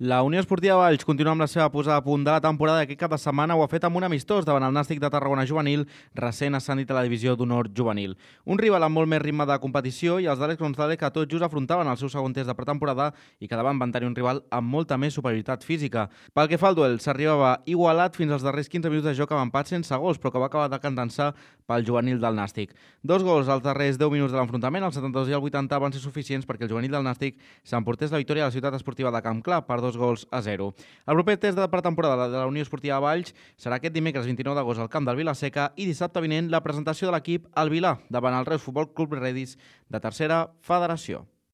La Unió Esportiva Valls continua amb la seva posada a punt de la temporada i aquest cap de setmana ho ha fet amb un amistós davant el Nàstic de Tarragona juvenil, recent ascendit a la divisió d'honor juvenil. Un rival amb molt més ritme de competició i els d'Àlex González que tot just afrontaven el seu segon test de pretemporada i que davant van tenir un rival amb molta més superioritat física. Pel que fa al duel, s'arribava igualat fins als darrers 15 minuts de joc amb empat sense gols, però que va acabar decantant-se pel juvenil del Nàstic. 2 gols als darrers 10 minuts de l'enfrontament, el 72 i el 80 van ser suficients perquè el juvenil del Nàstic s'emportés la victòria a la ciutat esportiva de Camp Clar per 2-0. El proper test de pretemporada de la Unió Esportiva Valls serà aquest dimecres 29 d'agost al camp del Vila-seca i dissabte vinent la presentació de l'equip al Vilà davant el Reus Futbol Club Redis de tercera federació.